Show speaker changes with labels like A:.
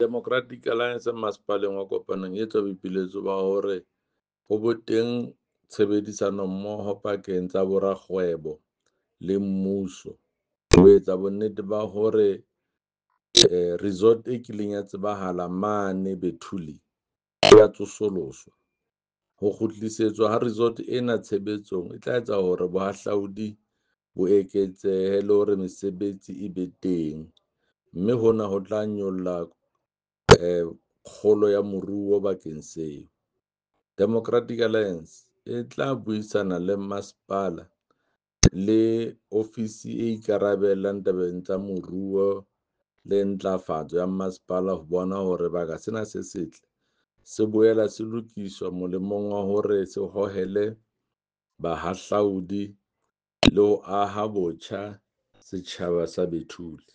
A: Democratic Alliance masepaleng wa Kopanong e etsa boipiletso ba hore ho bo teng tshebedisano mmoho pakeng tsa borakgwebo le mmuso, ho etsa bonnete ba hore resort e kileng ya tsebahala mane Bethulie ya tsosoloswa. Ho kgutlisetswa ha resort ena tshebetsong e tla etsa hore bohahlaudi bo eketsehe le hore mesebetsi e be teng, mme hona ho tla nyolla kgolo ya moruo bakeng seo. Democratic Alliance e tla buisana le masepala le ofisi e ikarabellang tabeng tsa moruo le ntlafatso ya masepala ho bona hore baka sena se setle se boela se lokiswa molemong wa hore se hohele bahahlaudi le ho aha botjha setjhaba sa Bethulie.